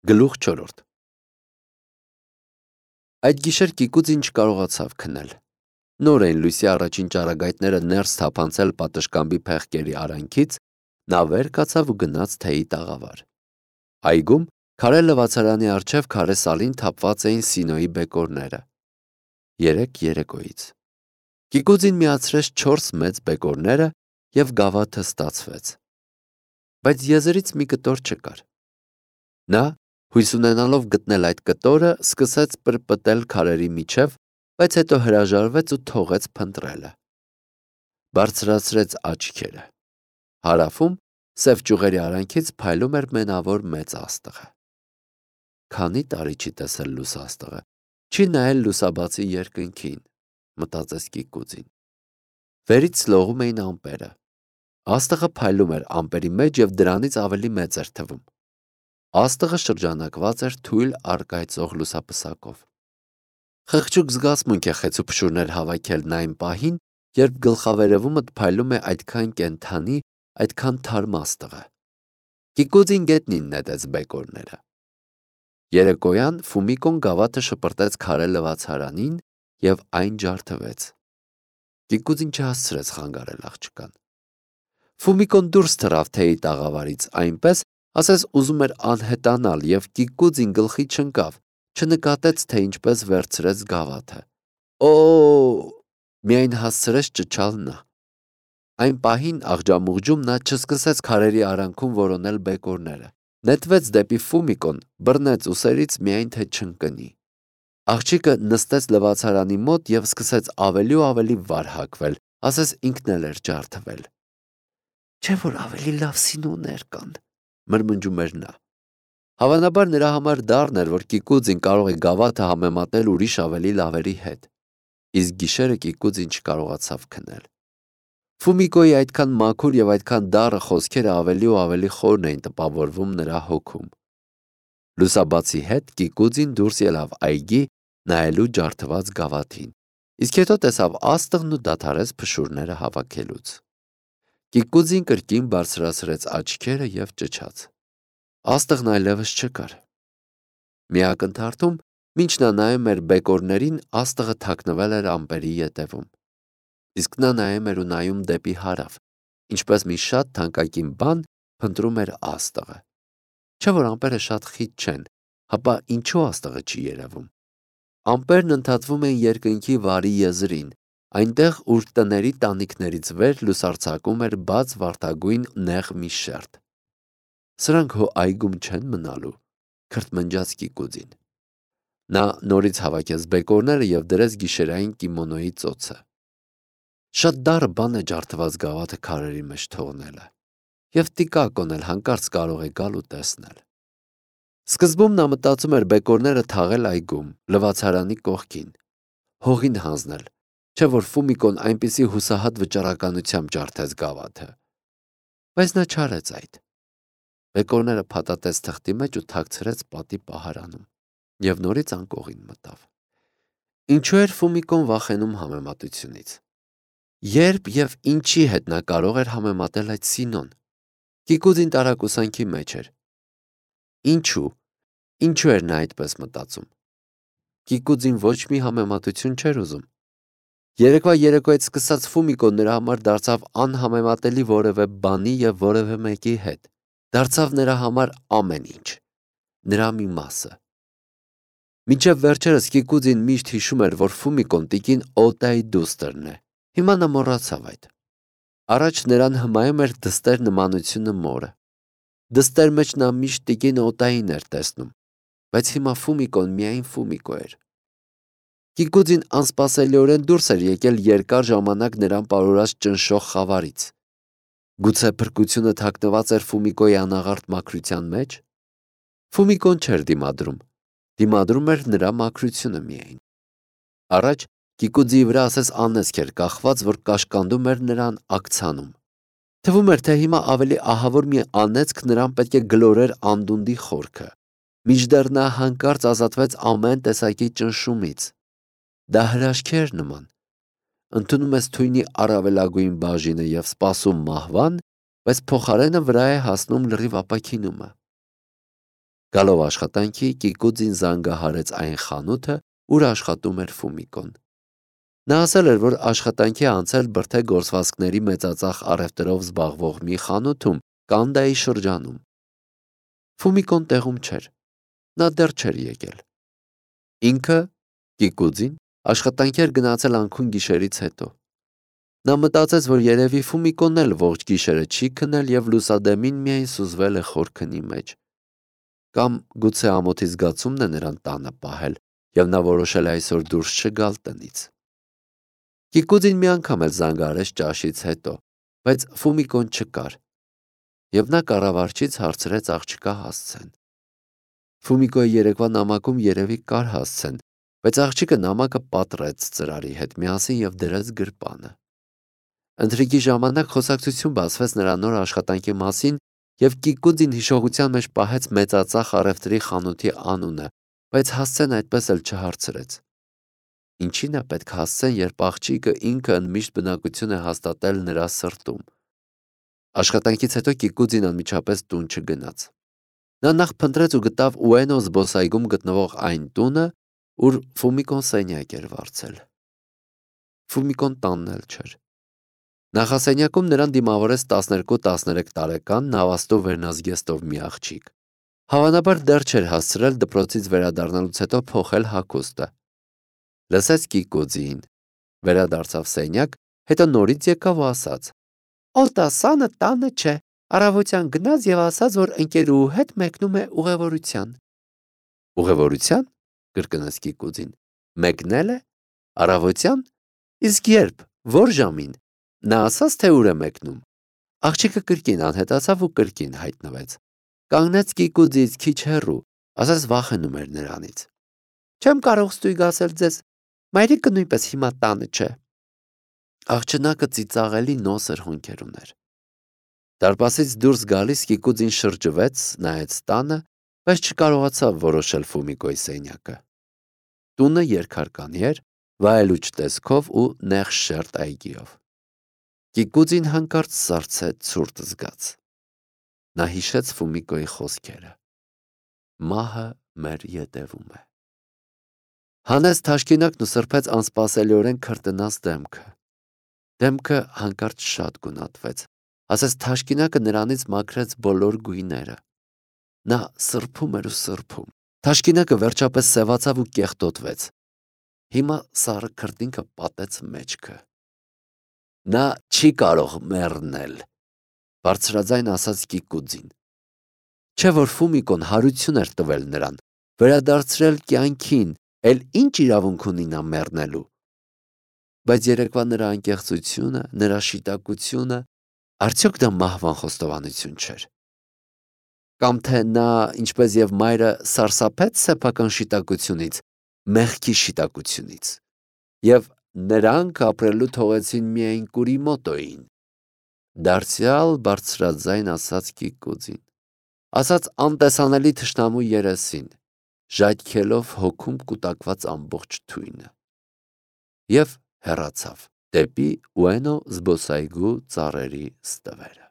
Գլուխ 4 Այդ գիշեր Կիկուձին չկարողացավ քնել։ Նոր էին լույսի առաջին ճառագայթները ներս թափանցել պատշգամբի փեղկերի արանքից, նա վեր կացավ ու գնաց թեյի տաղավար։ Այգում քարե լվացարանի առջև քարե սալին թափված էին Սինոյի բեկորները։ 3 երեկոյից Կիկուձին միացրեց 4 մեծ բեկորները և գավաթը ստացվեց։ Բայց եզրից մի կտոր չկար։ Նա, հույս ունենալով գտնել այդ կտորը, սկսեց պրպտել քարերի միջև, բայց հետո հրաժարվեց ու թողեց փնտրելը։ Բարձրացրեց աչքերը։ Հարավում, սև ճյուղերի արանքից փայլում էր մենավոր մեծ աստղը։ Քանի տարի չի տեսել լույս աստղը, չի նայել լուսաբացի երկնքին, մտածեց Կիկուձին։ Վերից լողում էին ամպերը։ Աստղը փայլում էր ամպերի մեջ և դրանից ավելի մեծ էր թվում։ Աստղը շրջանակված էր թույլ առկայծող լուսապսակով։ Խղճուկ զգացմունք է խեցուփշուրներ հավաքելն այն պահին, երբ գլխավերևումդ փայլում է այդքան կենդանի, այդքան թարմ աստղը։ Կիկուձին գետնին նետեց բեկորները։ Երեկոյան Ֆումիկոն գավաթը շպրտեց քարե լվացարանին և այն ջարդվեց։ Կիկուձին չհասցրեց խանգարել աղջկան։ Ֆումիկոն դուրս թռավ թեյի տաղավարից այնպես, ասես ուզում էր անհետանալ, և Կիկուձին գլխի չընկավ, չնկատեց, թե ինչպես վերցրեց գավաթը։ Օ՜օ, միայն հասցրեց ճչալ նա։ Այն պահին աղջամուղջում նա չսկսեց քարերի արանքում որոնել բեկորները։ Նետվեց դեպի Ֆումիկոն, բռնեց ուսերից, միայն թե չընկնի։ Աղջիկը նստեց լվացարանի մոտ և սկսեց ավելի ու ավելի վար հագվել, ասես ինքն էլ էր ջարդվել։ Չէ՞ որ ավելի լավ Սինոներ կան, մրմնջում էր նա։ Հավանաբար նրա համար դառն էր, որ Կիկուձին կարող է գավաթը համեմատել ուրիշ ավելի լավերի հետ։ Իսկ գիշերը Կիկուձին չկարողացավ քնել։ Ֆումիկոյի այդքան մաքուր և այդքան դառը խոսքերը ավելի ու ավելի խորն էին տպավորվում նրա հոգում։ Լուսաբացի հետ Կիկուձին դուրս ելավ այգի նայելու ջարդված գավաթին, իսկ հետո տեսավ աստղն ու դադարեց փշուրները հավաքելուց։ Կիկուձին կրկին բարձրացրեց աչքերը և ճչաց։ Աստղն այլևս չկար։ Մի ակնթարթում, մինչ նա նայում էր բեկորներին, աստղը թաքնվել էր ամպերի ետևում։ Իսկ նա նայում էր ու նայում դեպի հարավ, ինչպես մի շատ թանկագին բան փնտրում էր աստղը։ Չէ՞ որ ամպերը շատ խիտ չեն, հապա ինչու աստղը չի երևում։ Ամպերն ընդհատվում էին երկնքի վարի եզրին, այնտեղ, ուր տների տանիքներից վեր լուսարձակում էր բաց վարդագույն նեղ մի շերտ։ Սրանք հո այգում չեն մնալու, քրթմնջաց Կիկուձին։ Նա նորից հավաքեց բեկորները և դրեց գիշերային կիմոնոյի ծոցը։ Շատ դառը բան է ջարդված գավաթը քարերի մեջ թողնելը, և տիկակոն էլ հանկարծ կարող է գալ ու տեսնել։ Սկզբում նա մտածում էր բեկորները թաղել այգում, լվացարանի կողքին, հողին հանձնել, չէ՞ որ Ֆումիկոն այնպիսի հուսահատ վճռականությամբ ջարդեց գավաթը։ Բայց նա չարեց այդ։ Բեկորները փաթաթեց թղթի մեջ ու թաքցրեց պատի պահարանում և նորից անկողին մտավ։ Ինչու էր Ֆումիկոն վախենում համեմատությունից։ Երբ և ինչի հետ նա կարող էր համեմատել այդ Սինոն։ Կիկուձին տարակուսանքի մեջ էր։ Ինչու էր նա այդպես մտածում։ Կիկուձին ոչ մի համեմատություն չէր ուզում։ Երեկվա երեկոյից սկսած Ֆումիկոն նրա համար դարձավ անհամեմատելի որևէ բանի և որևէ մեկի հետ։ Դարձավ նրա համար ամեն ինչ, նրա մի մասը։ Մինչև վերջերս Կիկուձին միշտ հիշում էր, որ Ֆումիկոն տիկին Օտայի դուստրն է։ Հիմա նա մոռացավ այդ։ Առաջ նրան հմայում էր դստեր նմանությունը մորը։ Դստեր մեջ նա միշտ տիկին Օտային էր տեսնում, բայց հիմա Ֆումիկոն միայն Ֆումիկո էր։ Կիկուձին անսպասելիորեն դուրս էր եկել երկար ժամանակ նրան պարուրած ճնշող խավարից։ Գուցե փրկությունը թաքնված էր Ֆումիկոյի անաղարտ մաքրության մեջ։ Ֆումիկոն չէր դիմադրում, դիմադրում էր նրա մաքրությունը միայն։ Առաջ Կիկուձիի վրա ասես անեծք էր կախված, որ կաշկանդում էր նրան աքցանում։ Թվում էր, թե հիմա ավելի ահավոր մի անեծք նրան պետք է գլորեր անդունդի խորքը, մինչդեռ նա հանկարծ ազատվեց ամեն տեսակի ճնշումից։ Դա հրաշքի էր նման։ Ընդունում ես թույնի առավելագույն բաժինը և սպասում մահվան, բայց փոխարենը վրա է հասնում լրիվ ապաքինումը։ Գալով աշխատանքի, Կիկուձին զանգահարեց այն խանութը, ուր աշխատում էր Ֆումիկոն։ Նա ասել էր, որ աշխատանքի է անցել բրդե գործվածքների մեծածախ առևտրով զբաղվող մի խանութում Կանդայի շրջանում։ Ֆումիկոն տեղում չէր։ Նա դեռ չէր եկել։ Ինքը, Կիկուձին, աշխատանքի էր գնացել անքուն գիշերից հետո։ Նա մտածեց, որ երևի Ֆումիկոն էլ ողջ գիշերը չի քնել և լուսադեմին միայն սուզվել է խոր քնի մեջ։ Կամ գուցե ամոթի զգացումն է նրան տանը պահել, և նա որոշել է այսօր դուրս չգալ տնից։ Կիկուձին մի անգամ էլ զանգահարեց ճաշից հետո, բայց Ֆումիկոն չկար, և նա կառավարչից հարցրեց աղջկա Հասցեն։ Ֆումիկոյի երեկվա նամակում երևի կար Հասցեն, բայց աղջիկը նամակը պատռեց ծրարի հետ միասին և դրեց գրպանը։ Ընթրիքի ժամանակ խոսակցություն բացվեց նրա նոր աշխատանքի մասին, և Կիկուձին հիշողության մեջ պահեց մեծածախ առևտրի խանութի անունը, բայց Հասցեն այդպես էլ չհարցրեց։ Ինչին է պետք Հասցեն, երբ աղջիկը ինքը ընդմիշտ բնակություն է հաստատել նրա սրտում։ Աշխատանքից հետո Կիկուձին անմիջապես տուն չգնաց։ Նա նախ փնտրեց ու գտավ Ուենո զբոսայգում գտնվող այն տունը, ուր Ֆումիկոն սենյակ էր վարձել։ Ֆումիկոն տանն էլ չէր։ Նախասենյակում նրան դիմավորեց 12-13 տարեկան նավաստու վերնազգեստով մի աղջիկ։ Հավանաբար դեռ չէր հասցրել դպրոցից վերադառնալուց հետո փոխել հագուստը։ Լսեց Կիկուձին, վերադարձավ սենյակ, հետո նորից եկավ ու ասաց. «Օտասանը տանը չէ, առավոտյան գնաց և ասաց, որ ընկերուհու հետ մեկնում է ուղևորության»։ Ուղևորության, կրկնեց Կիկուձին, մեկնել է, առավոտյան, իսկ երբ, որ ժամին, նա ասաց, թե ուր է մեկնում։ Աղջիկը կրկին անհետացավ ու կրկին հայտնվեց։ Կանգնեց Կիկուձից քիչ հեռու, ասես վախենում էր նրանից։ Չեմ կարող ստույգ ասել ձեզ, մայրիկը նույնպես հիմա տանը չէ։ Աղջնակը ծիծաղելի նոսր հոնքեր ուներ։ Դարպասից դուրս գալիս Կիկուձին շրջվեց, նայեց տանը, բայց չկարողացավ որոշել Ֆումիկոյի սենյակը։ Տունը երկհարկանի էր, վայելուչ տեսքով ու նեղ շերտ այգիով։ Կիկուձին հանկարծ սառցեց ցուրտ զգաց։ Նա հիշեց Ֆումիկոյի խոսքերը. «Մահը մեր ետևում է»։ Հանեց թաշկինակն ու սրբեց անսպասելիորեն քրտնած դեմքը։ Դեմքը հանկարծ շատ գունատվեց, ասես թաշկինակը նրանից մաքրեց բոլոր գույները։ Նա սրբում էր ու սրբում։ Թաշկինակը վերջապես սևացավ ու կեղտոտվեց։ Հիմա սառը քրտինքը պատեց մեջքը։ Նա չի կարող մեռնել, բարձրաձայն ասաց Կիկուձին։ Չէ՞ որ Ֆումիկոն հարություն էր տվել նրան, վերադարձրել կյանքին, էլ ինչ իրավունք ունի նա մեռնելու։ Բայց երեկվա նրա անկեղծությունը, նրա շիտակությունը, արդյոք դա մահվան խոստովանություն չէր։ Կամ թե նա, ինչպես և մայրը, սարսափեց սեփական շիտակությունից, մեղքի շիտակությունից, և նրանք ապրելու թողեցին միայն Կուրիմոտոյին։ Դարձյալ բարձրաձայն ասաց Կիկուձին, ասաց անտեսանելի թշնամու երեսին, ժայթքելով հոգում կուտակված ամբողջ թույնը։ Եվ հեռացավ դեպի Ուենո զբոսայգու ծառերի ստվերը։